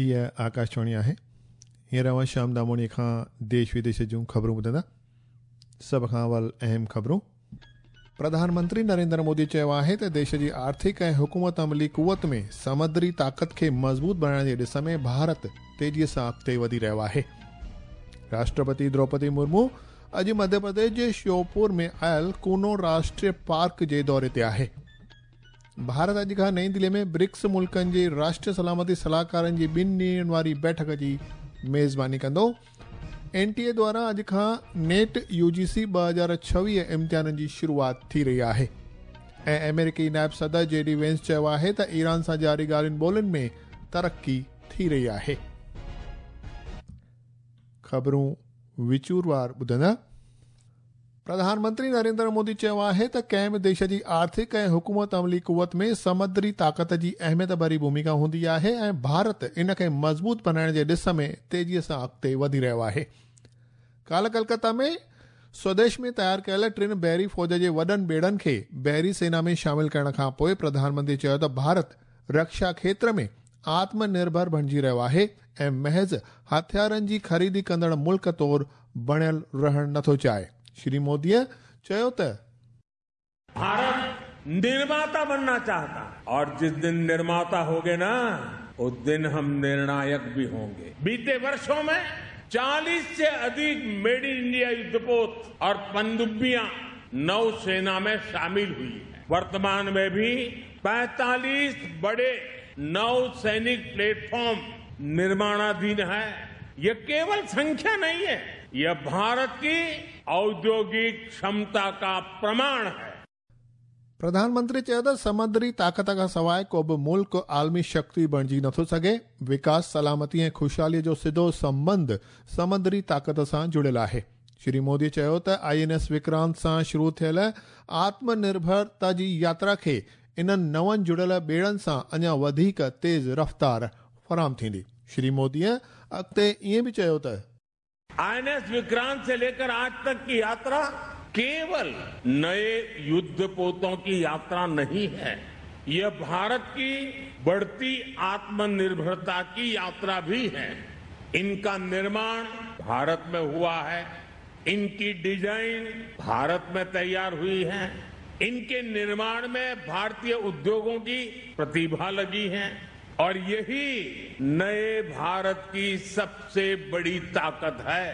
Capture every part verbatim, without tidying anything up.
हीअ आकाशवाणी आहे। हींअर अव्हां श्याम दामोणी खां देश विदेश जूं ख़बरूं ॿुधंदा। सभ खां अवल अहम ख़बरूं। प्रधानमंत्री नरेंद्र मोदी चयो आहे त देश जी आर्थिक ऐं हुकूमत अमली कुवत में समुद्री ताक़त खे मज़बूत बणाइण जे ॾिस में भारत तेज़ीअ सां अॻिते वधी रहियो आहे। राष्ट्रपति द्रौपदी मुर्मू अॼु मध्य प्रदेश जे श्योपुर में आयल कूनो राष्ट्रीय पार्क जे दौरे ते आहे। भारत अॼु खां नई दिल्ली में ब्रिक्स मुल्कनि जे राष्ट्रीय सलामती सलाहकारनि जी ॿिनि ॾींहंनि वारी बैठक जी मेज़बानी कंदो। एन टी ए द्वारा अॼु खां नेट you जी सी ॿ हज़ार छवीह इम्तिहाननि जी शुरूआत थी रही आहे। ऐं अमेरिकी नायब सदर जे डी वेंस चयो आहे त ईरान सां जारी ॻाल्हियुनि ॿोलियुनि में तरक़ी थी रही आहे। ख़बरूं विचूरवार ॿुधंदा। प्रधानमंत्री नरेंद्र मोदी चयो आहे त कंहिं बि देश जी आर्थिक ऐं हुकूमत अमली कुवत में समुद्री ताक़त जी अहमियत भरी भूमिका हूंदी आहे ऐं भारत इन खे मज़बूत बणाइण जे ॾिस में तेज़ीअ सां अॻिते वधी रहियो आहे। काल्ह कलकत्ता में स्वदेश में तयार कयल टिनि बहरी फ़ौज जे वॾनि ॿेड़नि खे बहरी सेना में शामिल करण खां पोइ प्रधानमंत्री चयो त भारत रक्षा क्षेत्र में आत्मनिर्भर बणिजी रहियो आहे ऐं महज़ हथियारनि जी ख़रीदी कंदड़ मुल्क तौर बणियल रहणु नथो चाहे। श्री मोदीअ चयो त भारत निर्माता बनना चाहता और जिस दिन निर्माता होंगे ना उस दिन हम निर्णायक भी होंगे। बीते वर्षों में चालीस से अधिक मेड इन इंडिया युद्धपोत और पनडुब्बियां नौसेना में शामिल हुई है। वर्तमान में भी पैंतालीस बड़े नौसैनिक प्लेटफॉर्म निर्माणाधीन है। ये केवल संख्या नहीं है, यह भारत की औद्योगिक क्षमता का प्रमाण है। प्रधानमंत्री चयो त समुद्री ताक़त खां सवाइ को बि मुल्क आलमी शक्ति बणिजी नथो सघे। विकास, सलामती ऐं ख़ुशहालीअ जो सिधो संबंध समुद्री ताक़त सां जुड़ियल आहे। श्री मोदी चयो त I N S Vikrant सां शुरू थियल आत्मनिर्भरता जी यात्रा खे इन्हनि नवनि जुड़ियल ॿेड़नि सां अञा वधीक तेज़ रफ़्तार फराहम थींदी। श्री मोदीअ अॻिते ईअं बि चयो त I N S Vikrant से लेकर आज तक की यात्रा केवल नए युद्धपोतों की यात्रा नहीं है, यह भारत की बढ़ती आत्मनिर्भरता की यात्रा भी है। इनका निर्माण भारत में हुआ है, इनकी डिजाइन भारत में तैयार हुई है, इनके निर्माण में भारतीय उद्योगों की प्रतिभा लगी है और यही नए भारत की सबसे बड़ी ताकत है।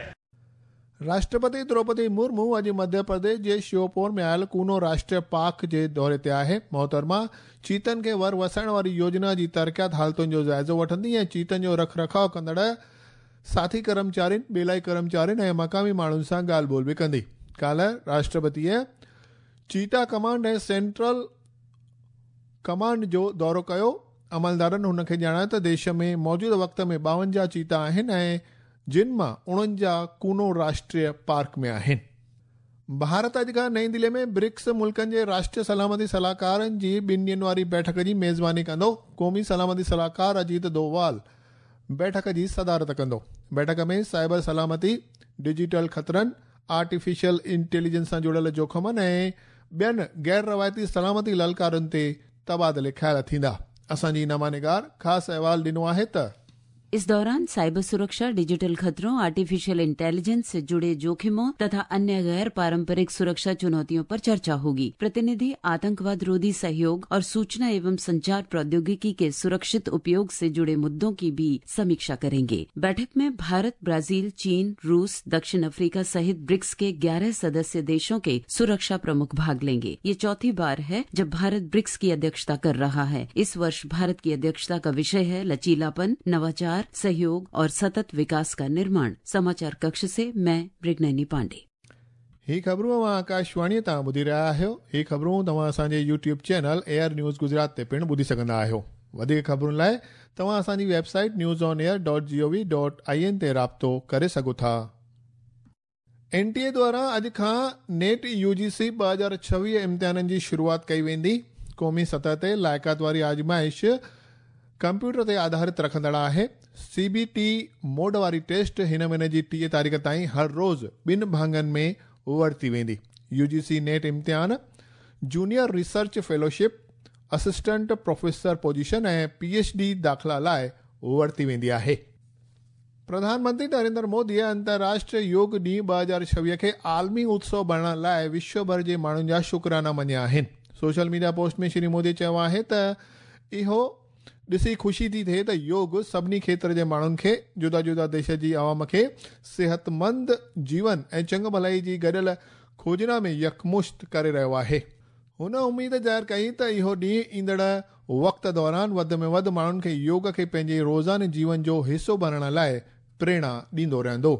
राष्ट्रपति द्रौपदी मुर्मू अॼु मध्य प्रदेश जे श्योपुर में आयल कूनो राष्ट्रीय पार्क जे दौरे ते आहे। मोहतरमा चीतनि खे वर वसाइण वारी योजना जी तरक़ियात हालतुनि जो जाइज़ो वठंदी ऐं चीतनि जो रख रखाव कंदड़ साथी कर्मचारियुनि, ॿेलाई कर्मचारियुनि ऐं मक़ामी माण्हुनि सां ॻाल्हि ॿोल बि कंदी। काल्ह राष्ट्रपतीअ चीता कमांड ऐं सेंट्रल कमांड जो दौरो कयो। अमलदारनि हुनखे ॼाणायो त देश में मौजूदा वक़्त में ॿावंजाह चीता आहिनि ऐं जिन मां उणंजाह कूनो राष्ट्रीय पार्क में आहिनि। भारत अॼु खां नई दिल्ली में ब्रिक्स मुल्कनि जे राष्ट्रीय सलामती सलाहकारनि जी ॿिनि ॾींहंनि वारी बैठक जी मेज़बानी कंदो। क़ौमी सलामती सलाहकार अजीत डोवाल बैठक जी सदारत कंदो। बैठक में साइबर सलामती, डिजिटल ख़तरनि, आर्टिफिशियल इंटेलिजेंस सां जुड़ियल जोख़िमनि ऐं ॿियनि गैर रवायती सलामती ललकारनि ते तबादिले ख़्याल थींदा। असांजी नमानिगार ख़ासि अहवाल ॾिनो आहे त इस दौरान साइबर सुरक्षा, डिजिटल खतरों, आर्टिफिशियल इंटेलिजेंस से जुड़े जोखिमों तथा अन्य गैर पारंपरिक सुरक्षा चुनौतियों पर चर्चा होगी। प्रतिनिधि आतंकवाद रोधी सहयोग और सूचना एवं संचार प्रौद्योगिकी के सुरक्षित उपयोग से जुड़े मुद्दों की भी समीक्षा करेंगे। बैठक में भारत, ब्राजील, चीन, रूस, दक्षिण अफ्रीका सहित ब्रिक्स के ग्यारह सदस्य देशों के सुरक्षा प्रमुख भाग लेंगे। ये चौथी बार है जब भारत ब्रिक्स की अध्यक्षता कर रहा है। इस वर्ष भारत की अध्यक्षता का विषय है लचीलापन, नवाचार, सहयोग और सतत विकास का निर्माण। समाचार कक्ष से मैं मृगनैनी पांडे। ही ख़बरूं अव्हां आकाशवाणीअ तां ॿुधी रहिया आहियो। ही ख़बरूं तव्हां असांजे YouTube channel air news Gujarat ते पिणु ॿुधी सघंदा आहियो। वधीक ख़बरुनि लाइ तव्हां असांजी website news on air dot G O V dot I N ते राब्तो करे सघो था। एन टी ए द्वारा अॼु खां नेट you जी सी ॿ हज़ार छवीह इम्तिहाननि जी शुरूआत कई वेंदी। क़ौमी सतह ते लाइक़ात वारी आज़माइश कंप्यूटर ते आधारित रखंदड़ आहे। सी बी टी मोड वारी टेस्ट हिन महीने जी टीह तारीख़ ताईं हर रोज़ ॿिनि भाङनि में वरिती वेंदी। You ji C net इम्तिहान junior research fellowship, assistant professor position ऐं पी एच डी दाख़िला लाइ वरिती वेंदी आहे। प्रधानमंत्री नरेंद्र मोदी अंतर्राष्ट्रीय योग ॾींहुं ॿ हज़ार छवीह खे आलमी उत्सव बणाइण लाइ विश्व भर जे माण्हुनि जा शुक्राना मञिया आहिनि। सोशल मीडिया पोस्ट में श्री मोदी चयो आहे त इहो ॾिसी ख़ुशी थी थिए त योग सभिनी क्षेत्र जे माण्हुनि खे, जुदा जुदा देश जी आवाम खे सिहतमंद जीवन ऐं चङु भलाई जी गॾियल खोजना में यकमुश्त करे रहियो आहे। हुन उम्मीद ज़ाहिर कई त इहो ॾींहुं ईंदड़ वक़्त दौरान वधि में वधि माण्हुनि खे योग खे पंहिंजे रोज़ाने जीवन जो हिसो बणाइण लाइ प्रेरणा ॾींदो रहंदो।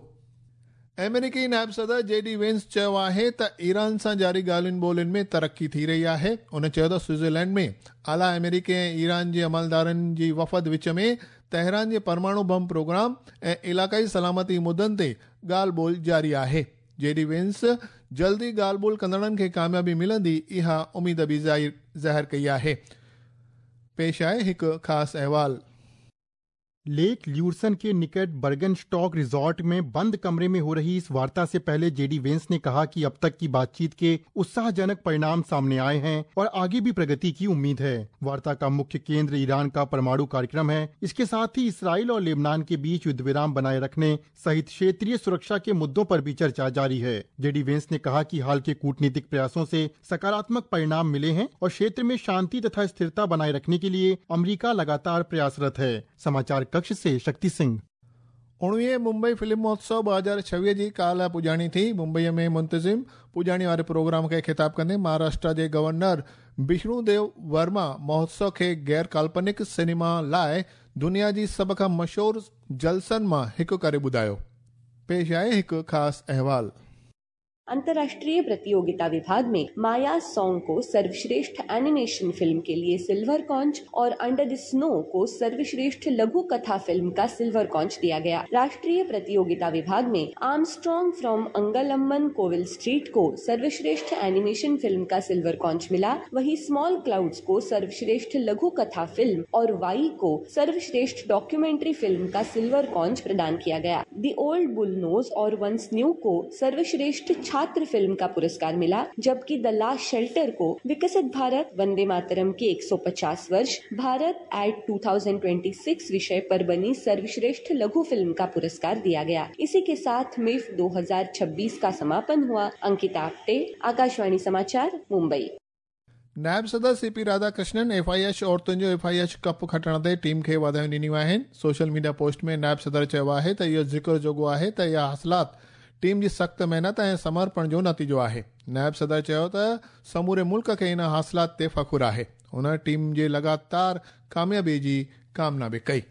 अमेरिकी नायब सदर जे डी वेंस चयो आहे त ईरान सां जारी ॻाल्हियुनि ॿोलियुनि में तरक़ी थी रही आहे। हुन चयो त स्विट्ज़रलैंड में आला अमेरिकी ऐं ईरान जे अमलदारनि जी वफ़द विच में तेहरान जे परमाणु बम प्रोग्राम ऐं इलाक़ाई सलामती मुद्दनि ते ॻाल्हि ॿोल जारी आहे। जे डी वेंस जल्दी ॻाल्हि ॿोल कंदड़नि खे कामयाबी मिलंदी, इहा उम्मीद बि ज़ाहिर कई आहे। पेश आहे हिकु ख़ासि अहवाल। लेक ल्यूर्सन के निकट बर्गनस्टॉक रिजॉर्ट में बंद कमरे में हो रही इस वार्ता से पहले जेडी वेंस ने कहा कि अब तक की बातचीत के उत्साहजनक परिणाम सामने आए हैं और आगे भी प्रगति की उम्मीद है। वार्ता का मुख्य केंद्र ईरान का परमाणु कार्यक्रम है। इसके साथ ही इसराइल और लेबनान के बीच युद्ध विराम बनाए रखने सहित क्षेत्रीय सुरक्षा के मुद्दों पर भी चर्चा जारी है। जेडी वेंस ने कहा कि हाल के कूटनीतिक प्रयासों से सकारात्मक परिणाम मिले हैं और क्षेत्र में शांति तथा स्थिरता बनाए रखने के लिए अमरीका लगातार प्रयासरत है। समाचार कक्ष से शक्ति सिंह। उणिवीह मुंबई फिल्म महोत्सव ॿ हज़ार छवीह जी काल्ह पुॼाणी थी। मुंबईअ में मुंतज़िम पुॼाणी वारे प्रोग्राम खे ख़िताब कंदे महाराष्ट्र जे गवर्नर विष्णुदेव वर्मा महोत्सव खे गैर काल्पनिक सिनेमा लाइ दुनिया जी सभ खां मशहूर जलसनि मां हिकु करे ॿुधायो। पेश आहे हिकु ख़ासि अहवाल। अंतर्राष्ट्रीय प्रतियोगिता विभाग में माया सॉन्ग को सर्वश्रेष्ठ एनिमेशन फिल्म के लिए सिल्वर कॉन्च और अंडर the snow को सर्वश्रेष्ठ लघु कथा फिल्म का सिल्वर कॉन्च दिया गया। राष्ट्रीय प्रतियोगिता विभाग में Armstrong from Angalamman Kovil street को सर्वश्रेष्ठ एनिमेशन फिल्म का सिल्वर कॉन्च मिला। वहीं स्मॉल क्लाउड्स को सर्वश्रेष्ठ लघु कथा फिल्म और वाई को सर्वश्रेष्ठ डॉक्यूमेंट्री फिल्म का सिल्वर कॉन्च प्रदान किया गया। The old bull nose और वंस न्यू को सर्वश्रेष्ठ छात्र फिल्म का पुरस्कार मिला, जबकि the last shelter को विकसित भारत वंदे मातरम के एक सौ पचास वर्ष भारत एट दो हज़ार छब्बीस विषय पर बनी सर्वश्रेष्ठ लघु फिल्म का पुरस्कार दिया गया। इसी के साथ मिफ दो हज़ार छब्बीस का समापन हुआ। अंकिता आप्टे, आकाशवाणी समाचार, मुंबई। नायब सदर C P Radhakrishnan F I H औरतुनि जो एफ I H cup खटण ते टीम खे वाधायूं ॾिनियूं आहिनि। सोशल मीडिया पोस्ट में नायब सदर चयो आहे त इहो ज़िक्र जोॻो आहे त इहा हासिलात टीम जी सख़्तु महिनत ऐं समर्पण जो नतीजो आहे। नायब सदर चयो त समूरे मुल्क खे इन हासिलात ते फ़ख़ुरु आहे। हुन टीम जे लगातार कामयाबी जी कामना बि कई।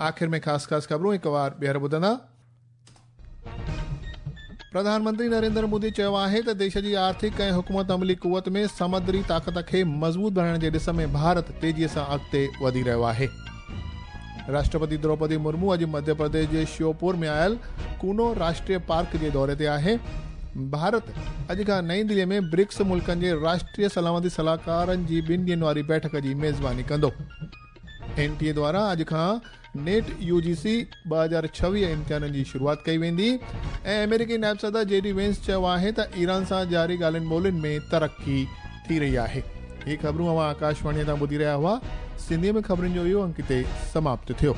आख़िर में ख़ासि ख़ासि ख़बरूं हिकु वार ॿीहर ॿुधंदा। प्रधानमंत्री नरेंद्र मोदी चयो आहे त देश जी आर्थिक ऐं हुकूमत अमली कुवत में समुद्री ताक़त खे मज़बूत बणाइण जे ॾिस में भारत तेज़ीअ सां अॻिते वधी रहियो आहे। राष्ट्रपति द्रौपदी मुर्मू अॼु मध्य प्रदेश जे श्योपुर में आयल कूनो राष्ट्रीय पार्क जे दौरे ते आहे। भारत अॼु खां नई दिल्लीअ में ब्रिक्स मुल्कनि जे राष्ट्रीय सलामती सलाहकारनि जी ॿिनि ॾींहंनि वारी बैठक जी मेज़बानी कंदो। एन टी ए द्वारा अॼु खां नेट you जी सी ॿ हज़ार छवीह इम्तिहाननि जी शुरूआत कई वेंदी। ऐं अमेरिकी नायब सदर जे डी वेंस चयो आहे त ईरान सां जारी ॻाल्हियुनि ॿोलियुनि में तरक़ी थी रही आहे। हीअ ख़बरूं अव्हां आकाशवाणीअ तां ॿुधी रहिया हुआ। सिंधीअ में ख़बरुनि जो इहो अंक हिते समाप्त थियो।